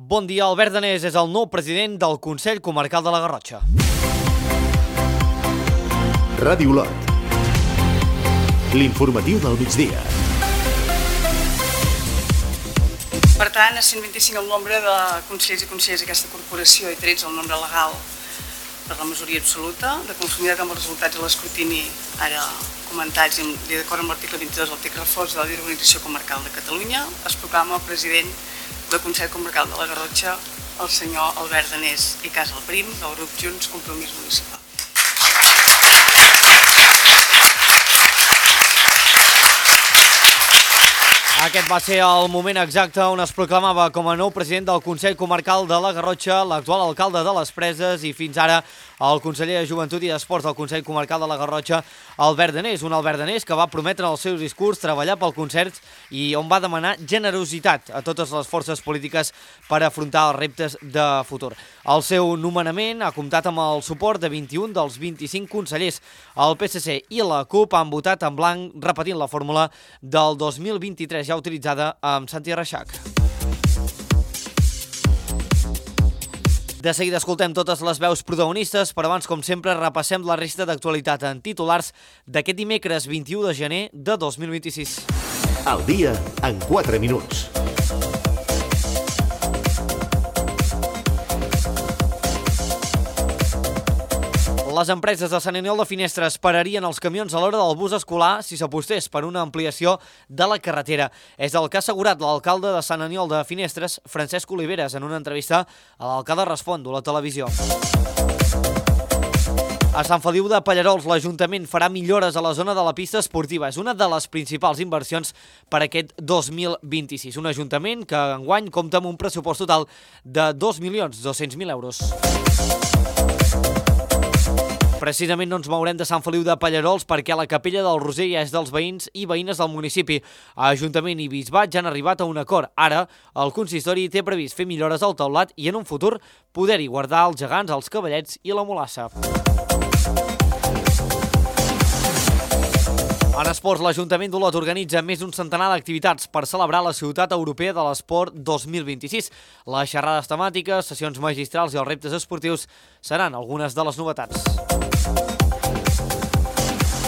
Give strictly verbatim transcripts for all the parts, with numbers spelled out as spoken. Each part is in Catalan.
Bon dia, Albert Danés és el nou president del Consell Comarcal de la Garrotxa. Ràdio Lot. L'informatiu del migdia. Per tant, a cent vint-i-cinc el nombre de consellers i consellers d'aquesta corporació i tretze el nombre legal per la majoria absoluta, de conformitat amb els resultats de l'escrutini ara comentats i d'acord amb l'article vint-i-dos del text refós de la Llei d'Organització Comarcal de Catalunya, es proclama el president del Consell Comarcal de la Garrotxa, el senyor Albert Danés i Casalprim, del grup Junts Compromís Municipal. Aquest va ser el moment exacte on es proclamava com a nou president del Consell Comarcal de la Garrotxa l'actual alcalde de les Preses i fins ara el conseller de Joventut i d'Esports del Consell Comarcal de la Garrotxa, Albert Danés, un Albert Danés que va prometre en els seus discurs treballar pel concert i on va demanar generositat a totes les forces polítiques per afrontar els reptes de futur. El seu nomenament ha comptat amb el suport de vint-i-un dels vint-i-cinc consellers. El P S C i la CUP han votat en blanc repetint la fórmula del dos mil vint-i-tres ja utilitzada amb Santi Reixac. De seguida escoltem totes les veus protagonistes, però abans, com sempre, repassem la resta d'actualitat en titulars d'aquest dimecres vint-i-u de gener de dos mil vint-i-sis. Al dia en quatre minuts. Les empreses de Sant Aniol de Finestres pararien els camions a l'hora del bus escolar si s'apostés per una ampliació de la carretera. És el que ha assegurat l'alcalde de Sant Aniol de Finestres, Francesc Oliveres, en una entrevista a l'Alcalde Respondo, a la televisió. A Sant Feliu de Pallerols, l'Ajuntament farà millores a la zona de la pista esportiva. És una de les principals inversions per aquest dos mil vint-i-sis. Un Ajuntament que enguany compta amb un pressupost total de dos milions dos-cents mil euros. Precisament no ens mourem de Sant Feliu de Pallerols perquè la Capella del Roser ja és dels veïns i veïnes del municipi. Ajuntament i Bisbat ja han arribat a un acord. Ara, el consistori té previst fer millores al teulat i en un futur poder-hi guardar els gegants, els cavallets i la mulassa. En esports, l'Ajuntament d'Olot organitza més d'un centenar d'activitats per celebrar la Ciutat Europea de l'Esport dos mil vint-i-sis. Les xerrades temàtiques, sessions magistrals i els reptes esportius seran algunes de les novetats.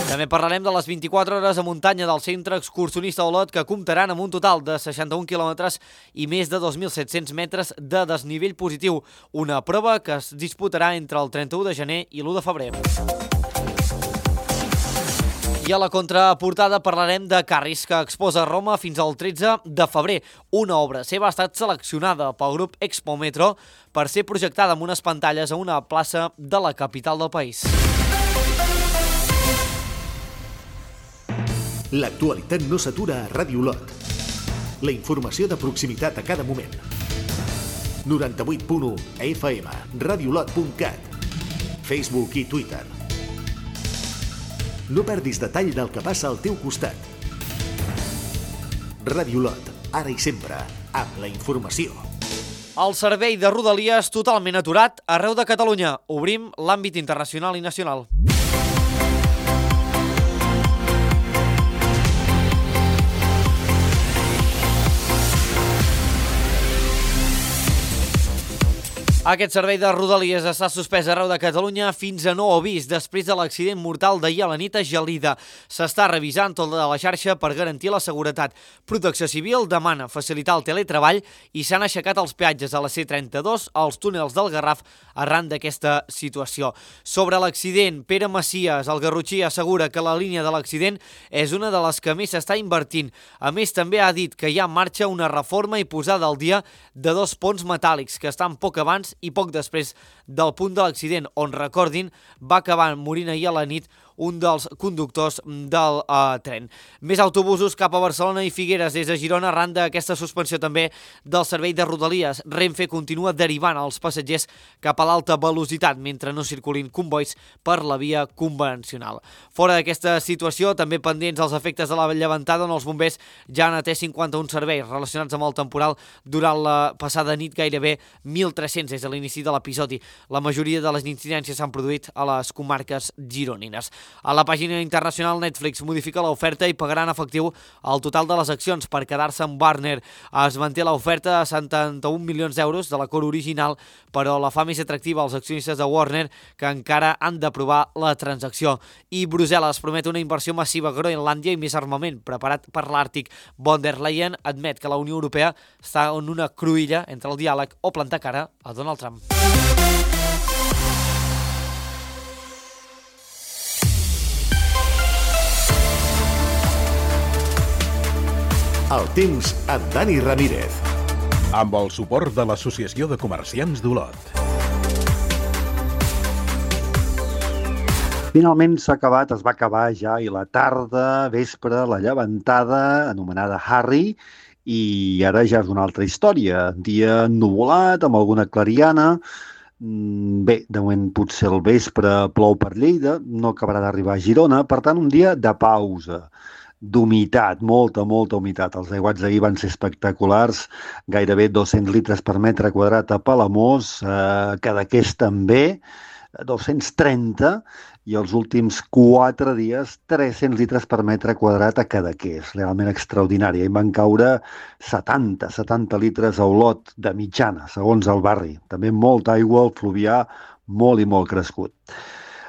També parlarem de les vint-i-quatre hores a muntanya del Centre Excursionista Olot, que comptaran amb un total de seixanta-un quilòmetres i més de dos mil set-cents metres de desnivell positiu, una prova que es disputarà entre el trenta-u de gener i l'u de febrer. I a la contraportada parlarem de Carris, que exposa a Roma fins al tretze de febrer. Una obra seva ha estat seleccionada pel grup Expo Metro per ser projectada amb unes pantalles a una plaça de la capital del país. L'actualitat no s'atura a Ràdio Lot. La informació de proximitat a cada moment. noranta-vuit punt u F M, radiolot punt cat, Facebook i Twitter. No perdis detall del que passa al teu costat. Ràdio Lot, ara i sempre, amb la informació. El servei de Rodalies totalment aturat arreu de Catalunya. Obrim l'àmbit internacional i nacional. Aquest servei de Rodalies està suspès arreu de Catalunya fins a nou avís després de l'accident mortal d'ahir a la nit a Gelida. S'està revisant tota la xarxa per garantir la seguretat. Protecció Civil demana facilitar el teletreball i s'han aixecat els peatges a la C trenta-dos als túnels del Garraf arran d'aquesta situació. Sobre l'accident, Pere Macias, el garrotxí, assegura que la línia de l'accident és una de les que més s'està invertint. A més, també ha dit que hi ha en marxa una reforma i posada al dia de dos ponts metàl·lics que estan poc abans i poc després del punt de l'accident, on, recordin, va acabar morint ahir a la nit un dels conductors del uh, tren. Més autobusos cap a Barcelona i Figueres des de Girona arran d'aquesta suspensió també del servei de Rodalies. Renfe continua derivant els passatgers cap a l'alta velocitat mentre no circulin convois per la via convencional. Fora d'aquesta situació, també pendents els efectes de la llevantada on els bombers ja han atès cinquanta-un serveis relacionats amb el temporal durant la passada nit, gairebé mil tres-cents des de l'inici de l'episodi. La majoria de les incidències s'han produït a les comarques gironines. A la pàgina internacional, Netflix modifica l'oferta i pagarà en efectiu el total de les accions per quedar-se amb Warner. Es manté l'oferta a setanta-un milions d'euros de l'acord original, però la fa més atractiva als accionistes de Warner, que encara han d'aprovar la transacció. I Brussel·les promet una inversió massiva a Groenlàndia i més armament preparat per l'Àrtic. Von der Leyen admet que la Unió Europea està en una cruïlla entre el diàleg o plantar cara a Donald Trump. El temps amb Dani Ramírez. Amb el suport de l'Associació de Comerciants d'Olot. Finalment s'ha acabat, es va acabar ja i la tarda, vespre, la llevantada, anomenada Harry, i ara ja és una altra història. Dia ennuvolat, amb alguna clariana. Bé, de moment potser al vespre plou per Lleida, no acabarà d'arribar a Girona, per tant un dia de pausa, d'humitat, molta, molta humitat. Els aiguats d'ahir van ser espectaculars, gairebé dos-cents litres per metre quadrat a Palamós, eh, Cadaqués també, dos-cents trenta, i els últims quatre dies tres-cents litres per metre quadrat a Cadaqués, realment extraordinari. Hi van caure setanta, setanta litres a Olot de mitjana, segons el barri. També molta aigua, el fluvià molt i molt crescut.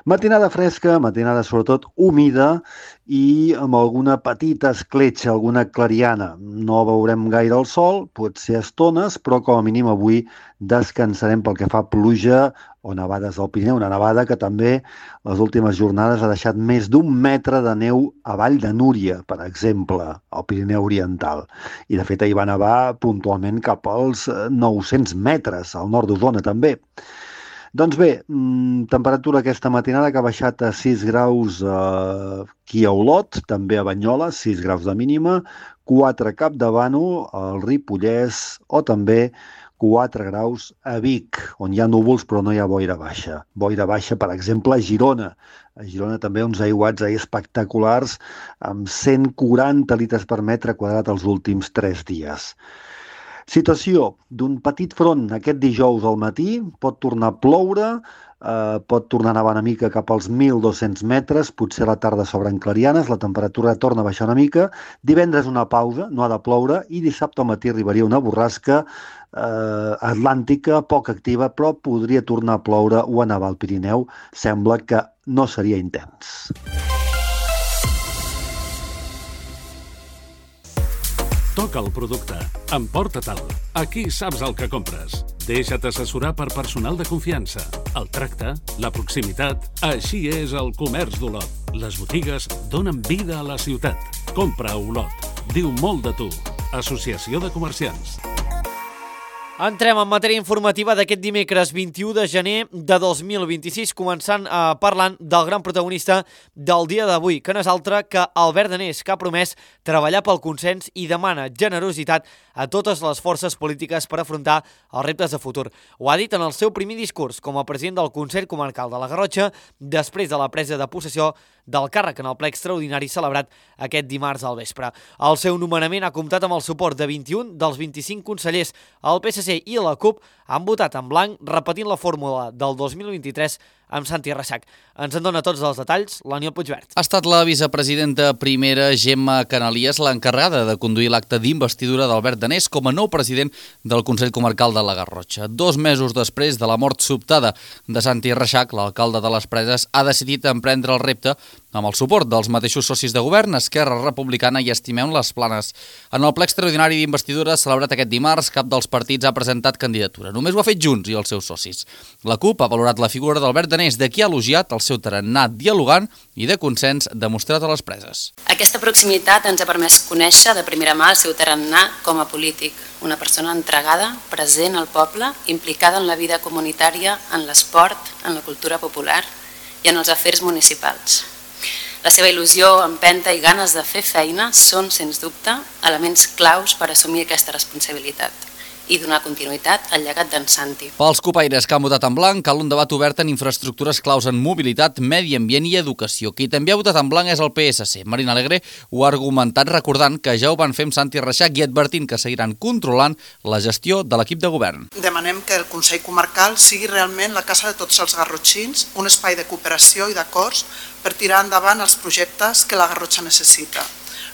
Matinada fresca, matinada sobretot humida i amb alguna petita escletxa, alguna clariana. No veurem gaire el sol, potser estones, però com a mínim avui descansarem pel que fa a pluja o nevades al Pirineu. Una nevada que també les últimes jornades ha deixat més d'un metre de neu a Vall de Núria, per exemple, al Pirineu Oriental. I de fet ahir va nevar puntualment cap als nou-cents metres, al nord d'Osona també. Doncs bé, temperatura aquesta matinada que ha baixat a sis graus aquí a Olot, també a Banyoles, sis graus de mínima, quatre a Capdavano, al Ripollès, o també quatre graus a Vic, on hi ha núvols però no hi ha boira baixa. Boira baixa, per exemple, a Girona. A Girona també uns aiguats ahir espectaculars amb cent quaranta litres per metre quadrat els últims tres dies. Situació d'un petit front aquest dijous al matí, pot tornar a ploure, eh, pot tornar a nevar una mica cap als mil dos-cents metres, potser a la tarda s'obren clarianes, la temperatura torna a baixar una mica, divendres una pausa, no ha de ploure, i dissabte al matí arribaria una borrasca eh, atlàntica, poc activa, però podria tornar a ploure o a nevar al Pirineu, sembla que no seria intens. Toca el producte. Emporta-te'l. Aquí saps el que compres. Deixa't assessorar per personal de confiança. El tracte, la proximitat... Així és el comerç d'Olot. Les botigues donen vida a la ciutat. Compra a Olot. Diu molt de tu. Associació de Comerciants. Entrem en matèria informativa d'aquest dimecres vint-i-u de gener de dos mil vint-i-sis, començant eh, parlant del gran protagonista del dia d'avui, que no és altre que Albert Danés, que ha promès treballar pel consens i demana generositat a totes les forces polítiques per afrontar els reptes de futur. Ho ha dit en el seu primer discurs com a president del Consell Comarcal de la Garrotxa, després de la presa de possessió del càrrec en el ple extraordinari celebrat aquest dimarts al vespre. El seu nomenament ha comptat amb el suport de vint-i-un dels vint-i-cinc consellers. El P S C i la CUP han votat en blanc, repetint la fórmula del dos mil vint-i-tres amb Santi Reixac. Ens en dona tots els detalls l'Aniol Puigvert. Ha estat la vicepresidenta primera Gemma Canalies l'encarregada de conduir l'acte d'investidura d'Albert Danés com a nou president del Consell Comarcal de la Garrotxa. Dos mesos després de la mort sobtada de Santi Reixac, l'alcalde de les Preses ha decidit emprendre el repte amb el suport dels mateixos socis de govern, Esquerra Republicana i Estimem les Planes. En el ple extraordinari d'investidura celebrat aquest dimarts, cap dels partits ha presentat candidatura. Només ho ha fet Junts i els seus socis. La CUP ha valorat la figura d'Albert Danés, de qui ha elogiat el seu tarannà dialogant i de consens demostrat a les Preses. Aquesta proximitat ens ha permès conèixer de primera mà el seu tarannà com a polític, una persona entregada, present al poble, implicada en la vida comunitària, en l'esport, en la cultura popular i en els afers municipals. La seva il·lusió, empenta i ganes de fer feina són, sens dubte, elements claus per assumir aquesta responsabilitat. i donar continuïtat al llegat d'en Santi. Pels copaires que han votat en blanc, cal un debat obert en infraestructures claus en mobilitat, medi ambient i educació. Qui també ha votat en blanc és el P S C. Marina Alegre ho ha argumentat recordant que ja ho van fer amb Santi Reixac i advertint que seguiran controlant la gestió de l'equip de govern. Demanem que el Consell Comarcal sigui realment la casa de tots els garrotxins, un espai de cooperació i d'acords per tirar endavant els projectes que la Garrotxa necessita.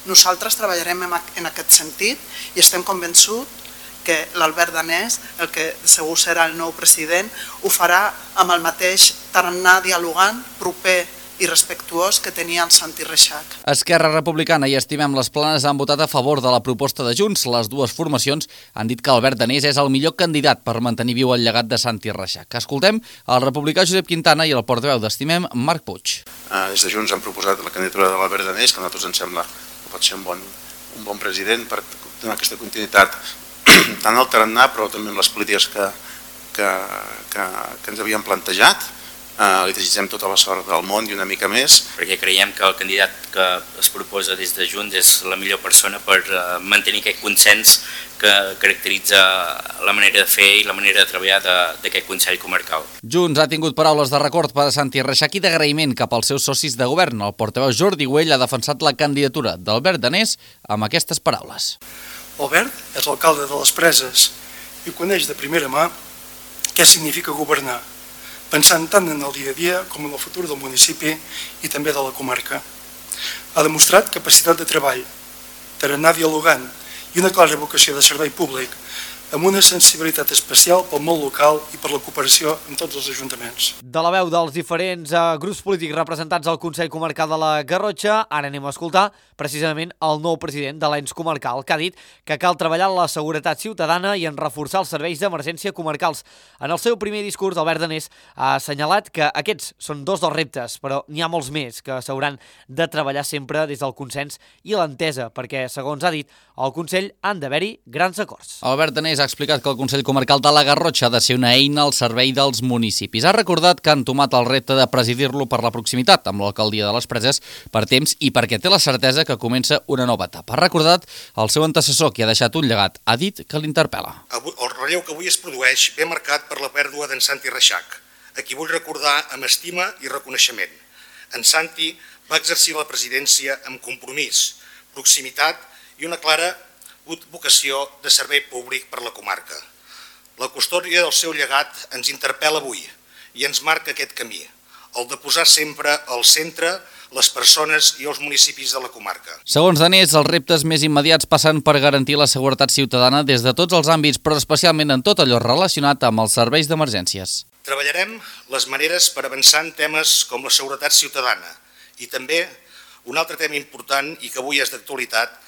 Nosaltres treballarem en aquest sentit i estem convençuts que l'Albert Danés, el que segur serà el nou president, ho farà amb el mateix tarannà dialogant, proper i respectuós que tenia el Santi Reixac. Esquerra Republicana i Estimem les Planes han votat a favor de la proposta de Junts. Les dues formacions han dit que Albert Danés és el millor candidat per mantenir viu el llegat de Santi Reixac. Escoltem el republicà Josep Quintana i el portaveu d'Estimem, Marc Puig. Des de Junts han proposat la candidatura de l'Albert Danés, que a nosaltres ens sembla que pot ser un bon, un bon president per donar aquesta continuïtat tant al tarannà però també amb les polítiques que, que, que, que ens havíem plantejat. Uh, li desitgem tota la sort del món i una mica més. Perquè creiem que el candidat que es proposa des de Junts és la millor persona per uh, mantenir aquest consens que caracteritza la manera de fer i la manera de treballar d'aquest Consell Comarcal. Junts ha tingut paraules de record per a Santi Reixac i d'agraïment cap als seus socis de govern. El portaveu Jordi Güell ha defensat la candidatura d'Albert Danés amb aquestes paraules. Albert és l'alcalde de les Preses i coneix de primera mà què significa governar, pensant tant en el dia a dia com en el futur del municipi i també de la comarca. Ha demostrat capacitat de treball, tarannà dialogant i una clara vocació de servei públic, amb una sensibilitat especial pel món local i per la cooperació amb tots els ajuntaments. De la veu dels diferents eh, grups polítics representats al Consell Comarcal de la Garrotxa, ara anem a escoltar precisament el nou president de l'ens comarcal, que ha dit que cal treballar en la seguretat ciutadana i en reforçar els serveis d'emergència comarcals. En el seu primer discurs, Albert Danés ha assenyalat que aquests són dos dels reptes, però n'hi ha molts més que s'hauran de treballar sempre des del consens i l'entesa, perquè, segons ha dit, al Consell han d'haver-hi grans acords. Albert Danés ha explicat que el Consell Comarcal de la Garrotxa ha de ser una eina al servei dels municipis. Ha recordat que han tomat el repte de presidir-lo per la proximitat amb l'alcaldia de les Preses per temps i perquè té la certesa que comença una nova etapa. Ha recordat el seu antecessor, que ha deixat un llegat. Ha dit que l'interpel·la. El relleu que avui es produeix ve marcat per la pèrdua d'en Santi Reixac, a qui vull recordar amb estima i reconeixement. En Santi va exercir la presidència amb compromís, proximitat i una clara vocació de servei públic per la comarca. La custòdia del seu llegat ens interpel·la avui i ens marca aquest camí, el de posar sempre al centre les persones i els municipis de la comarca. Segons Danés, els reptes més immediats passen per garantir la seguretat ciutadana des de tots els àmbits, però especialment en tot allò relacionat amb els serveis d'emergències. Treballarem les maneres per avançar en temes com la seguretat ciutadana i també un altre tema important i que avui és d'actualitat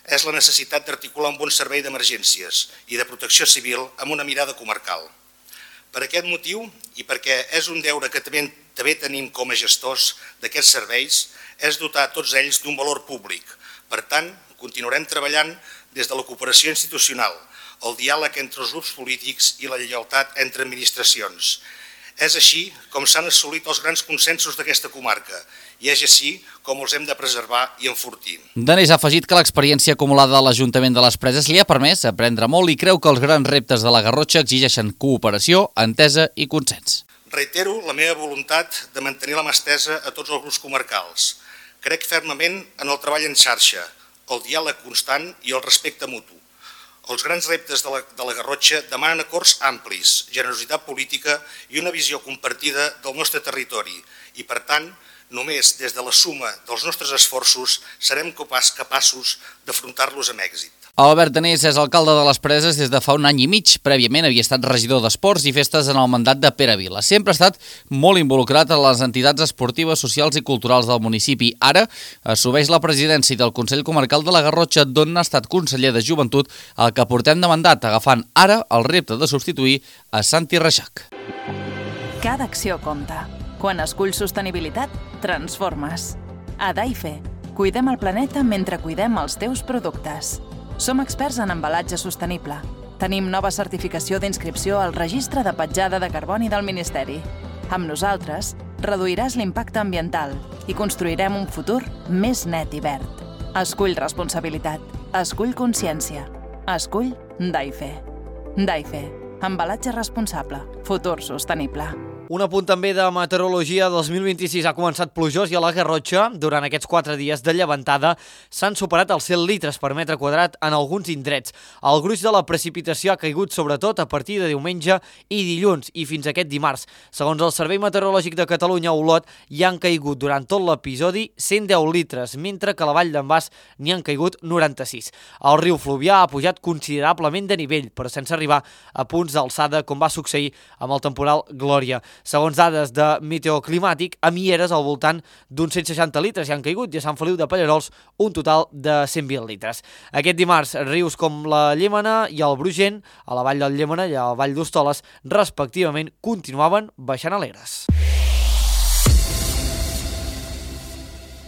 és la necessitat d'articular un bon servei d'emergències i de protecció civil amb una mirada comarcal. Per aquest motiu, i perquè és un deure que també, també tenim com a gestors d'aquests serveis, és dotar tots ells d'un valor públic. Per tant, continuarem treballant des de la cooperació institucional, el diàleg entre els grups polítics i la lleialtat entre administracions. És així com s'han assolit els grans consensos d'aquesta comarca i és així com els hem de preservar i enfortir. Danés ha afegit que l'experiència acumulada a l'Ajuntament de les Preses li ha permès aprendre molt i creu que els grans reptes de la Garrotxa exigeixen cooperació, entesa i consens. Reitero la meva voluntat de mantenir la mà estesa a tots els grups comarcals. Crec fermament en el treball en xarxa, el diàleg constant i el respecte mutu. Els grans reptes de la, de la Garrotxa demanen acords amplis, generositat política i una visió compartida del nostre territori i, per tant, només des de la suma dels nostres esforços serem capaços d'afrontar-los amb èxit. Albert Danés és alcalde de les Preses des de fa un any i mig. Prèviament havia estat regidor d'Esports i Festes en el mandat de Pere Vila. Sempre ha estat molt involucrat en les entitats esportives, socials i culturals del municipi. Ara assumeix la presidència del Consell Comarcal de la Garrotxa, d'on ha estat conseller de Joventut, el que portem de mandat, agafant ara el repte de substituir a Santi Reixac. Cada acció compta. Quan esculls sostenibilitat, transformes. A Daife, cuidem el planeta mentre cuidem els teus productes. Som experts en embalatge sostenible. Tenim nova certificació d'inscripció al Registre de Petjada de Carboni del Ministeri. Amb nosaltres, reduiràs l'impacte ambiental i construirem un futur més net i verd. Escull responsabilitat. Escull consciència. Escull Daife. Daife, embalatge responsable, futur sostenible. Un apunt també de meteorologia. Dos mil vint-i-sis ha començat plujós i a la Garrotxa, durant aquests quatre dies de llevantada, s'han superat els cent litres per metre quadrat en alguns indrets. El gruix de la precipitació ha caigut sobretot a partir de diumenge i dilluns i fins aquest dimarts. Segons el Servei Meteorològic de Catalunya, a Olot, hi han caigut durant tot l'episodi cent deu litres, mentre que a la Vall d'en Bas n'hi han caigut noranta-sis. El riu Fluvià ha pujat considerablement de nivell, però sense arribar a punts d'alçada, com va succeir amb el temporal Glòria. Segons dades de Meteoclimàtic, a Mieres al voltant d'uns cent seixanta litres hi han caigut i a Sant Feliu de Pallerols un total de cent vint litres. Aquest dimarts, rius com la Llémena i el Brugent, a la vall del Llémena i a la vall d'Hostoles, respectivament, continuaven baixant alegres.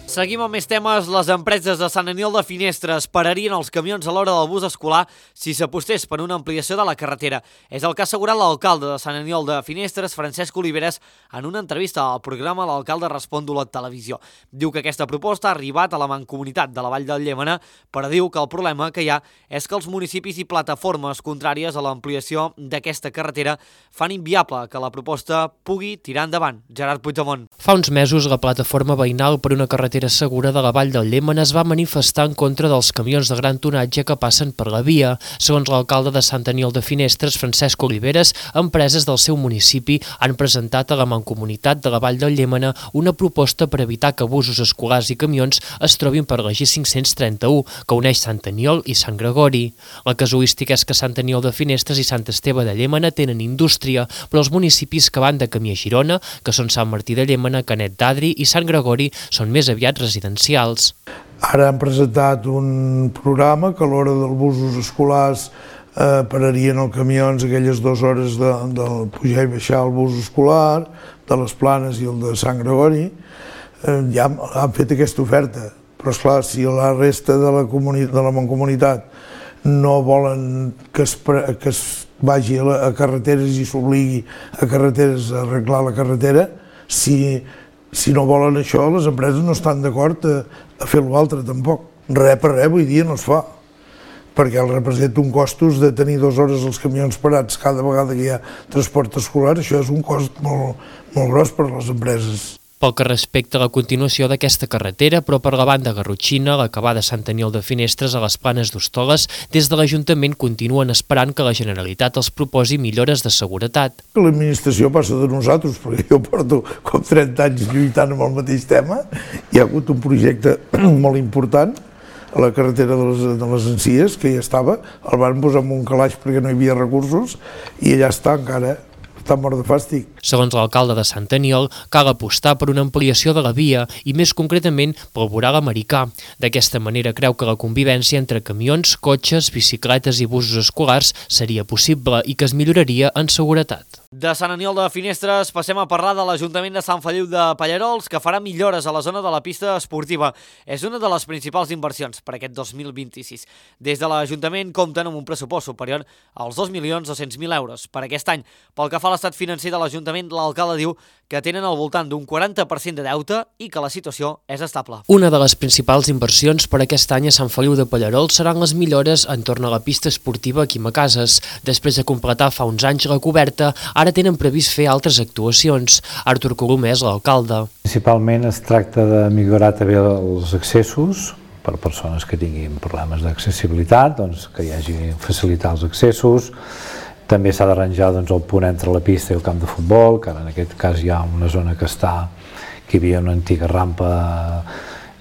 Seguim amb més temes. Les empreses de Sant Aniol de Finestres pararien els camions a l'hora del bus escolar si s'apostés per una ampliació de la carretera. És el que ha assegurat l'alcalde de Sant Aniol de Finestres, Francesc Oliveres, en una entrevista al programa L'Alcalde Respon d'Olot Televisió. Diu que aquesta proposta ha arribat a la Mancomunitat de la Vall del Llémena, però diu que el problema que hi ha és que els municipis i plataformes contràries a l'ampliació d'aquesta carretera fan inviable que la proposta pugui tirar endavant. Gerard Puigdemont. Fa uns mesos, la plataforma veïnal per una carretera segura de la Vall del Llémena es va manifestar en contra dels camions de gran tonatge que passen per la via. Segons l'alcalde de Sant Aniol de Finestres, Francesc Oliveres, empreses del seu municipi han presentat a la Mancomunitat de la Vall del Llémena una proposta per evitar que busos escolars i camions es trobin per la G cinc-cents trenta-u, que uneix Sant Aniol i Sant Gregori. La casuística és que Sant Aniol de Finestres i Sant Esteve de Llémena tenen indústria, però els municipis que van de camí a Girona, que són Sant Martí de Llémena, Canet d'Adri i Sant Gregori, són més aviat residencials. Ara han presentat un programa que a l'hora dels busos escolars eh, pararien els camions aquelles dues hores de, del pujar i baixar el bus escolar, de les Planes i el de Sant Gregori. Eh, ja han fet aquesta oferta, però esclar, si la resta de la, de la Mancomunitat no volen que es, que es vagi a, la, a carreteres i s'obligui a carreteres a arreglar la carretera, si Si no volen això, les empreses no estan d'acord a, a fer l'altre tampoc. Res per res, avui dia no es fa, perquè el representa un costos de tenir dues hores els camions parats cada vegada que hi ha transport escolar. Això és un cost molt, molt gros per a les empreses. Pel que respecta a la continuació d'aquesta carretera, però per la banda garrotxina, l'acabada Sant Aniol de Finestres a les Planes d'Hostoles, des de l'Ajuntament continuen esperant que la Generalitat els proposi millores de seguretat. L'administració passa de nosaltres, perquè jo porto com trenta anys lluitant amb el mateix tema. Hi ha hagut un projecte molt important a la carretera de les, de les Encies, que ja estava, el van posar en un calaix perquè no hi havia recursos, i allà està encara. Està mort de fàstic. Segons l'alcalde de Sant Aniol, cal apostar per una ampliació de la via i més concretament pel voral americà. D'aquesta manera creu que la convivència entre camions, cotxes, bicicletes i busos escolars seria possible i que es milloraria en seguretat. De Sant Aniol de Finestres passem a parlar de l'Ajuntament de Sant Feliu de Pallerols, que farà millores a la zona de la pista esportiva. És una de les principals inversions per aquest dos mil vint-i-sis. Des de l'Ajuntament compten amb un pressupost superior als dos milions dos-cents mil euros per aquest any. Pel que fa a l'estat financer de l'Ajuntament, l'alcalde diu que tenen al voltant d'un quaranta per cent de deute i que la situació és estable. Una de les principals inversions per aquest any a Sant Feliu de Pallerols seran les millores entorn a la pista esportiva Quimacases. Després de completar fa uns anys la coberta, ara tenen previst fer altres actuacions. Artur Colomer és l'alcalde. Principalment es tracta de millorar també els accessos per persones que tinguin problemes d'accessibilitat, doncs que hi hagi facilitar els accessos. També s'ha d'arranjar doncs, el punt entre la pista i el camp de futbol, que ara en aquest cas hi ha una zona que està, que hi havia una antiga rampa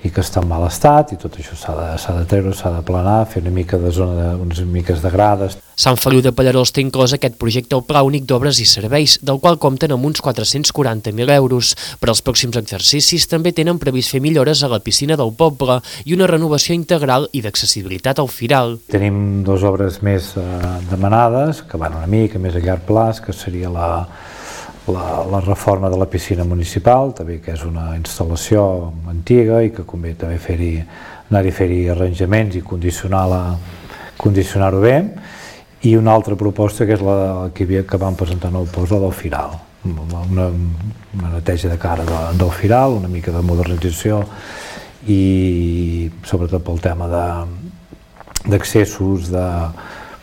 i que està en mal estat, i tot això s'ha de, s'ha de treure, s'ha de planar, fer una mica de zona, de, unes miques de grades. Sant Feliu de Pallerols té inclòs aquest projecte al Pla Únic d'Obres i Serveis, del qual compten amb uns quatre-cents quaranta mil euros. Per als pròxims exercicis també tenen previst fer millores a la piscina del poble i una renovació integral i d'accessibilitat al Firal. Tenim dues obres més eh, demanades, que van una mica més a llarg plaç, que seria la, la, la reforma de la piscina municipal, també que és una instal·lació antiga i que convé també fer-hi, anar-hi a fer-hi arranjaments i condicionar-la, condicionar-ho bé. I una altra proposta que és la que, havia, que vam presentar nou post, la del Firal. Una, una neteja de cara de, del Firal, una mica de modernització i sobretot pel tema d'accessos, de,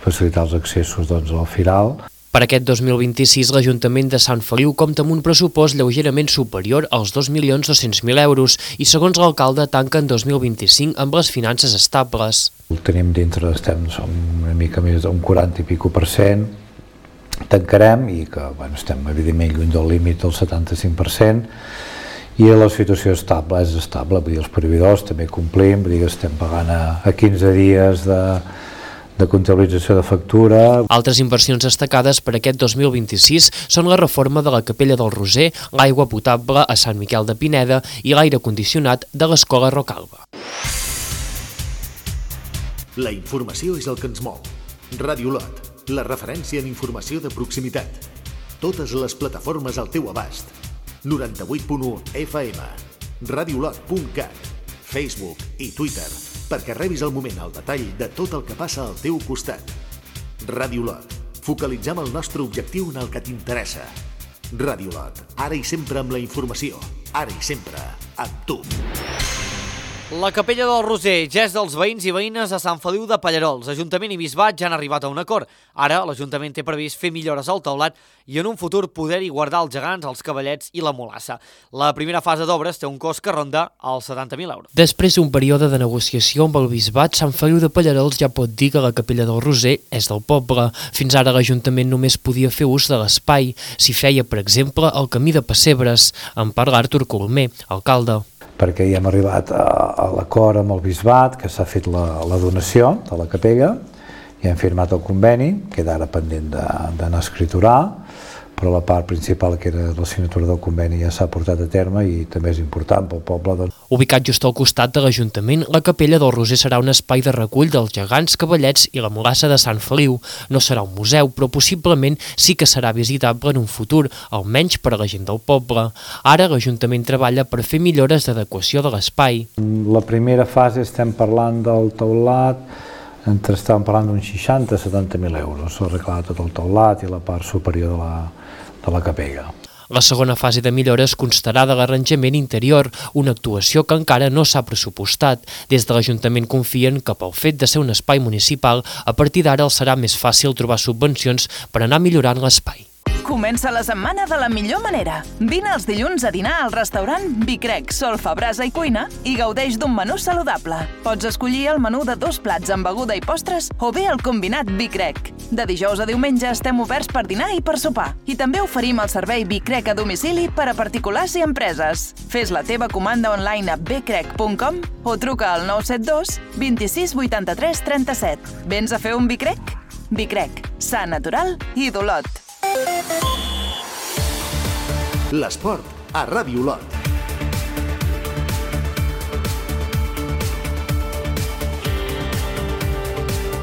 facilitar els accessos doncs, al Firal. Per aquest dos mil vint-i-sis, l'Ajuntament de Sant Feliu compta amb un pressupost lleugerament superior als dos milions dos-cents mil euros i, segons l'alcalde, tanca en dos mil vint-i-cinc amb les finances estables. Ho tenim dintre, estem som una mica més d'un quaranta i pico per cent, tancarem i que bueno, estem evidentment lluny del límit del setanta-cinc per cent i la situació estable és estable, vull dir, els proveïdors també complim, vull dir que estem pagant a, a quinze dies de de comptabilització de factura. Altres inversions destacades per aquest dos mil vint-i-sis són la reforma de la Capella del Roser, l'aigua potable a Sant Miquel de Pineda i l'aire condicionat de l'Escola Rocalba. La informació és el que ens mou. Ràdio Lot, la referència en informació de proximitat. Totes les plataformes al teu abast. noranta-vuit punt u F M, radiolot punt cat, Facebook i Twitter, perquè rebis al moment el detall de tot el que passa al teu costat. Ràdio Lot. Focalitzem el nostre objectiu en el que t'interessa. Ràdio Lot. Ara i sempre amb la informació. Ara i sempre amb tu. La Capella del Roser, gest dels veïns i veïnes de Sant Feliu de Pallerols. Ajuntament i Bisbat ja han arribat a un acord. Ara l'Ajuntament té previst fer millores al teulat i en un futur poder-hi guardar els gegants, els cavallets i la molassa. La primera fase d'obres té un cost que ronda els setanta mil euros. Després d'un període de negociació amb el Bisbat, Sant Feliu de Pallerols ja pot dir que la Capella del Roser és del poble. Fins ara l'Ajuntament només podia fer ús de l'espai. S'hi feia, per exemple, el camí de Pessebres. En parla Artur Colomer, alcalde. Perquè ja hem arribat a, a l'acord amb el Bisbat, que s'ha fet la, la donació de la capella, i hem firmat el conveni, queda ara pendent d'anar a escriturar, però la part principal, que era la signatura del conveni, ja s'ha portat a terme i també és important pel poble. Doncs. Ubicat just al costat de l'Ajuntament, la Capella del Roser serà un espai de recull dels gegants, cavallets i la molassa de Sant Feliu. No serà un museu, però possiblement sí que serà visitable en un futur, almenys per a la gent del poble. Ara l'Ajuntament treballa per fer millores d'adequació de l'espai. La primera fase estem parlant del teulat, entre estàvem parlant d'uns seixanta a setanta mil euros, arreglar tot el teulat i la part superior de la, de la capella. La segona fase de millores constarà de l'arranjament interior, una actuació que encara no s'ha pressupostat. Des de l'Ajuntament confien que pel fet de ser un espai municipal, a partir d'ara els serà més fàcil trobar subvencions per anar millorant l'espai. Comença la setmana de la millor manera. Vine els dilluns a dinar al restaurant Vicrec, Solfa, Brasa i Cuina i gaudeix d'un menú saludable. Pots escollir el menú de dos plats amb beguda i postres o bé el combinat Vicrec. De dijous a diumenge estem oberts per dinar i per sopar. I també oferim el servei Vicrec a domicili per a particulars i empreses. Fes la teva comanda online a becrec punt com o truca al nou set dos vint-i-sis vuitanta-tres trenta-set. Vens a fer un Vicrec? Vicrec, sa, natural i d'Olot. L'esport a Ràdio Lot.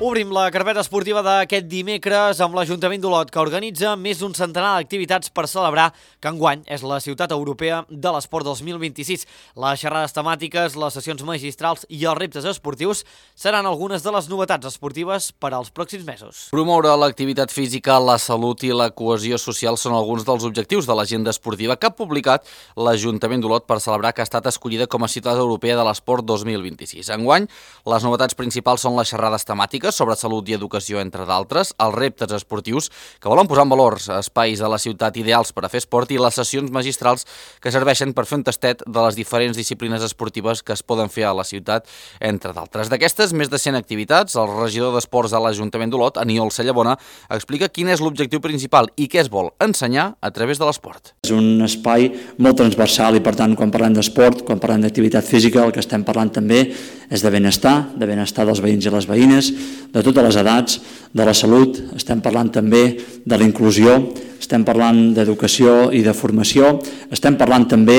Obrim la carpeta esportiva d'aquest dimecres amb l'Ajuntament d'Olot, que organitza més d'un centenar d'activitats per celebrar que enguany és la ciutat europea de l'esport dos mil vint-i-sis. Les xerrades temàtiques, les sessions magistrals i els reptes esportius seran algunes de les novetats esportives per als pròxims mesos. Promoure l'activitat física, la salut i la cohesió social són alguns dels objectius de l'agenda esportiva que ha publicat l'Ajuntament d'Olot per celebrar que ha estat escollida com a ciutat europea de l'esport dos mil vint-i-sis. Enguany, les novetats principals són les xerrades temàtiques sobre salut i educació, entre d'altres, els reptes esportius que volen posar en valor espais a la ciutat ideals per a fer esport i les sessions magistrals que serveixen per fer un tastet de les diferents disciplines esportives que es poden fer a la ciutat, entre d'altres. D'aquestes, més de cent activitats, el regidor d'Esports de l'Ajuntament d'Olot, Aniol Cellabona, explica quin és l'objectiu principal i què es vol ensenyar a través de l'esport. És un espai molt transversal i, per tant, quan parlem d'esport, quan parlem d'activitat física, el que estem parlant també és de benestar, de benestar dels veïns i les veïnes, de totes les edats, de la salut, estem parlant també de la inclusió, estem parlant d'educació i de formació, estem parlant també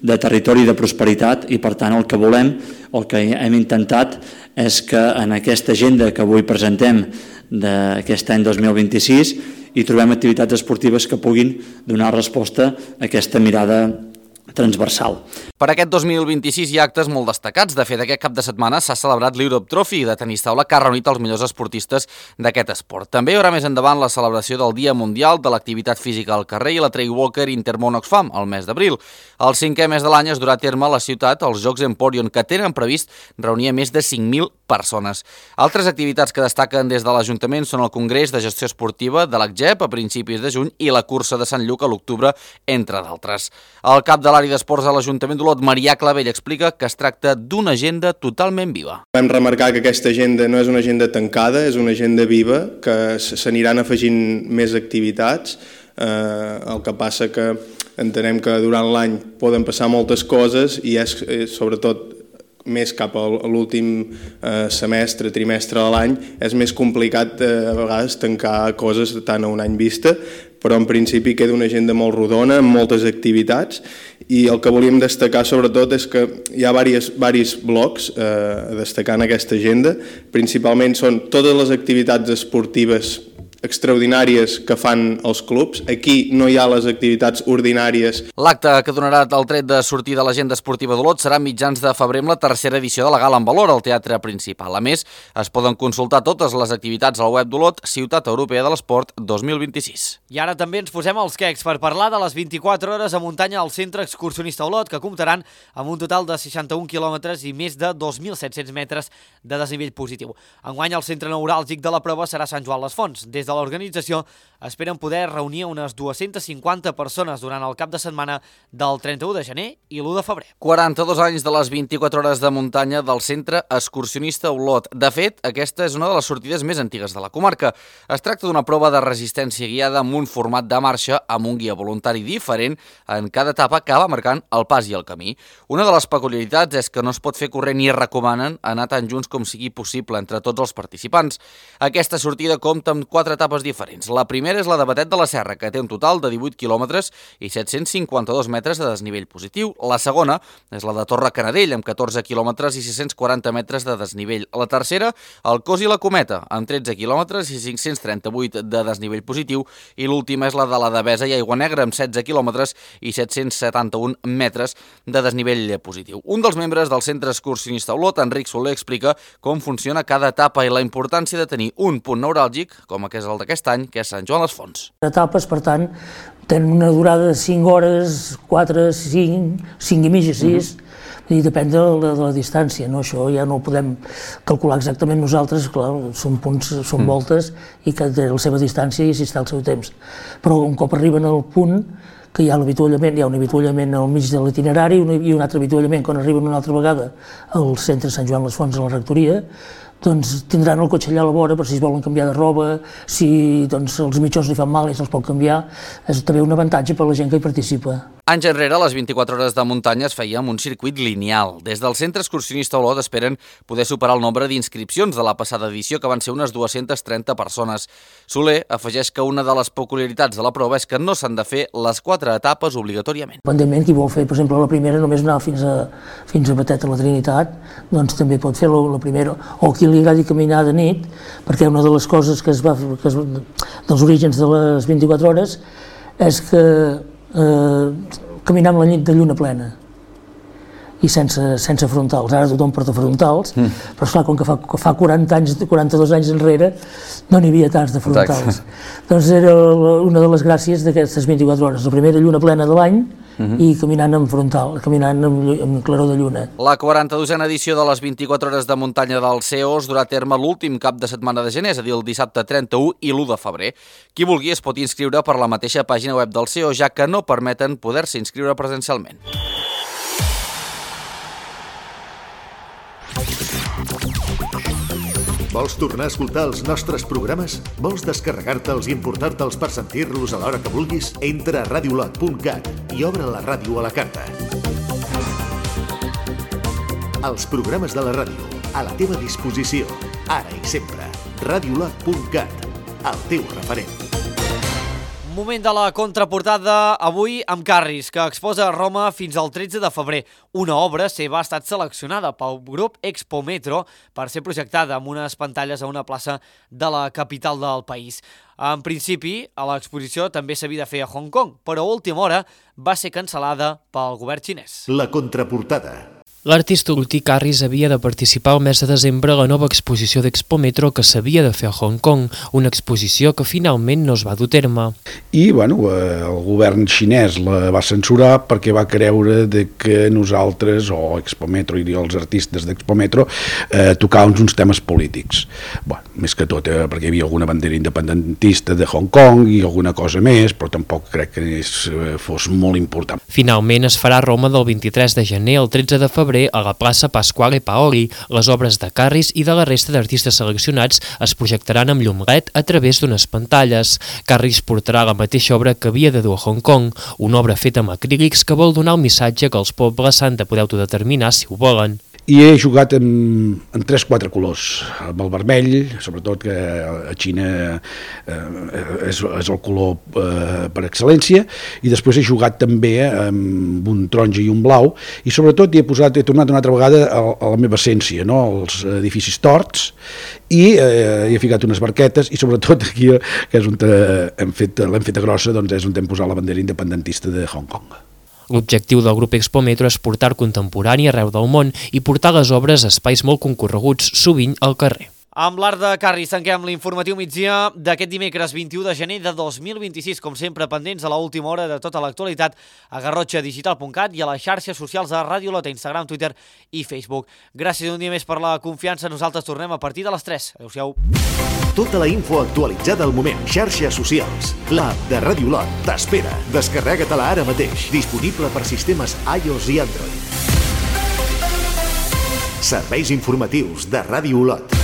de territori i de prosperitat i, per tant, el que volem, el que hem intentat és que en aquesta agenda que avui presentem d'aquest any dos mil vint-i-sis hi trobem activitats esportives que puguin donar resposta a aquesta mirada transversal. Per aquest dos mil vint-i-sis hi ha actes molt destacats. De fet, aquest cap de setmana s'ha celebrat l'Europe Trophy de tenis taula que ha reunit els millors esportistes d'aquest esport. També hi haurà més endavant la celebració del Dia Mundial de l'Activitat Física al carrer i la Trail Walker Intermón Oxfam al mes d'abril. El cinquè mes de l'any es durà a terme a la ciutat els Jocs Emporion, que tenen previst reunir més de cinc mil persones. Altres activitats que destaquen des de l'Ajuntament són el Congrés de Gestió Esportiva de l'A C G E P a principis de juny i la cursa de Sant Lluc a l'octubre, entre d'altres. El cap de l'àrea d'esports de l'Ajuntament d'Olot, Marià Clavell, explica que es tracta d'una agenda totalment viva. Vam remarcar que aquesta agenda no és una agenda tancada, és una agenda viva, que s'aniran afegint més activitats. Eh, el que passa que entenem que durant l'any poden passar moltes coses i és, és sobretot més cap a l'últim eh, semestre, trimestre de l'any, és més complicat eh, a vegades tancar coses tant a un any vista, però en principi queda una agenda molt rodona, amb moltes activitats, i el que volíem destacar sobretot és que hi ha diversos blocs eh, a destacar en aquesta agenda. Principalment són totes les activitats esportives extraordinàries que fan els clubs. Aquí no hi ha les activitats ordinàries. L'acte que donarà el tret de sortir de l'agenda esportiva d'Olot serà a mitjans de febrer amb la tercera edició de la Gala en Valor al Teatre Principal. A més, es poden consultar totes les activitats al web d'Olot, Ciutat Europea de l'Esport dos mil vint-i-sis. I ara també ens posem els quecs per parlar de les vint-i-quatre hores a muntanya al Centre Excursionista Olot, que comptaran amb un total de seixanta-un quilòmetres i més de dos mil set-cents metres de desnivell positiu. Enguany el centre neuràlgic de la prova serà Sant Joan les Fonts. Des de l'organització esperen poder reunir unes dues-centes cinquanta persones durant el cap de setmana del trenta-u de gener i l'u de febrer. quaranta-dos anys de les vint-i-quatre hores de muntanya del Centre Excursionista Olot. De fet, aquesta és una de les sortides més antigues de la comarca. Es tracta d'una prova de resistència guiada amb un format de marxa amb un guia voluntari diferent en cada etapa que va marcant el pas i el camí. Una de les peculiaritats és que no es pot fer corrent i recomanen anar tan junts com sigui possible entre tots els participants. Aquesta sortida compta amb quatre etapes diferents. La primera és la de Batet de la Serra, que té un total de divuit quilòmetres i set-cents cinquanta-dos metres de desnivell positiu. La segona és la de Torre Canadell, amb catorze quilòmetres i sis-cents quaranta metres de desnivell. La tercera, el Cos i la Cometa, amb tretze quilòmetres i cinc-cents trenta-vuit de desnivell positiu. I l'última és la de la Devesa i Aigua Negra, amb setze quilòmetres i set-cents setanta-un metres de desnivell positiu. Un dels membres del Centre Excursionista Olot, Enric Soler, explica com funciona cada etapa i la importància de tenir un punt neuràlgic, com que és el d'aquest any, que és Sant Joan les Fonts. Etapes, per tant, tenen una durada de cinc hores, quatre, cinc, cinc i mitja, sis, uh-huh. I depèn de la, de la distància, no? Això ja no ho podem calcular exactament nosaltres, clar, són punts, són mm. voltes i que té la seva distància i així està el seu temps. Però un cop arriben al punt, que hi ha l'avituallament, hi ha un avituallament al mig de l'itinerari i un altre avituallament quan arriben una altra vegada al centre Sant Joan les Fonts, a la rectoria, doncs tindran el cotxe allà a la vora per si es volen canviar de roba, si doncs, els mitjons li fan mal i se'ls pot canviar. És també un avantatge per a la gent que hi participa. Anys enrere, les vint-i-quatre hores de muntanya es feia amb un circuit lineal. Des del Centre Excursionista Olot esperen poder superar el nombre d'inscripcions de la passada edició, que van ser unes dues-centes trenta persones. Soler afegeix que una de les peculiaritats de la prova és que no s'han de fer les quatre etapes obligatòriament. Pendentment, qui vol fer, per exemple, la primera, només anar fins a, fins a Batet a la Trinitat, doncs també pot fer la, la primera, o qui li agradi caminar de nit, perquè una de les coses que es va, que es, dels orígens de les vint-i-quatre hores és que eh, caminar amb la nit de lluna plena i sense, sense frontals. Ara tothom porta frontals, mm. però esclar, com que fa, fa quaranta anys, quaranta-dos anys enrere no n'hi havia tants de frontals. Exacte. Doncs era una de les gràcies d'aquestes vint-i-quatre hores, la primera lluna plena de l'any, Uh-huh. i caminant en frontal, caminant amb, amb claror de lluna. La quaranta-dosena edició de les vint-i-quatre hores de muntanya del C E O es durà a terme l'últim cap de setmana de gener, és a dir, el dissabte trenta-u i l'u de febrer. Qui vulgui es pot inscriure per la mateixa pàgina web del C E O, ja que no permeten poder-se inscriure presencialment. Vols tornar a escoltar els nostres programes? Vols descarregar-te'ls i importar-te'ls per sentir-los a l'hora que vulguis? Entra a radiolot punt cat i obre la ràdio a la carta. Els programes de la ràdio, a la teva disposició, ara i sempre. radiolot punt cat, el teu referent. Moment de la contraportada avui amb Carris, que exposa a Roma fins al tretze de febrer. Una obra seva ha estat seleccionada pel grup Expo Metro per ser projectada amb unes pantalles a una plaça de la capital del país. En principi, a l'exposició també s'havia de fer a Hong Kong, però a última hora va ser cancel·lada pel govern xinès. La contraportada. L'artista Urtí Carris havia de participar el mes de desembre a la nova exposició d'Expo Metro que s'havia de fer a Hong Kong, una exposició que finalment no es va dur a terme. I bueno, el govern xinès la va censurar perquè va creure de que nosaltres, o Expo Metro i els artistes d'Expo Metro, eh, tocàvem uns temes polítics. Bueno, més que tot, eh, perquè hi havia alguna bandera independentista de Hong Kong i alguna cosa més, però tampoc crec que és, eh, fos molt important. Finalment es farà a Roma del vint-i-tres de gener al tretze de febrer a la plaça Pasquale Paoli. Les obres de Carris i de la resta d'artistes seleccionats es projectaran amb llum L E D a través d'unes pantalles. Carris portarà la mateixa obra que havia de dur a Hong Kong, una obra feta amb acrílics que vol donar el missatge que els pobles s'han de poder autodeterminar si ho volen. I he jugat en, en tres quatre colors, amb el vermell, sobretot que a Xina eh, és, és el color eh, per excel·lència, i després he jugat també amb un taronja i un blau, i sobretot he, posat, he tornat una altra vegada a, a la meva essència, no? Els edificis torts, i eh, he ficat unes barquetes, i sobretot aquí, que és on hem fet, l'hem feta grossa, doncs és on hem posat la bandera independentista de Hong Kong. L'objectiu del grup Expo Metro és portar contemporani arreu del món i portar les obres a espais molt concorreguts, sovint al carrer. Amb l'art de Carris tanquem l'informatiu migdia d'aquest dimecres vint-i-u de gener de dos mil vint-i-sis, com sempre pendents a l'última hora de tota l'actualitat a garrotxa digital punt cat i a les xarxes socials de Ràdio Lot, Instagram, Twitter i Facebook. Gràcies un dia més per la confiança, nosaltres tornem a partir de les tres. Adéu-siau. Tota la info actualitzada al moment, xarxes socials. L'app de Ràdio Lot t'espera. Descarrega-te-la ara mateix, disponible per sistemes iOS i Android. Serveis informatius de Ràdio Lot.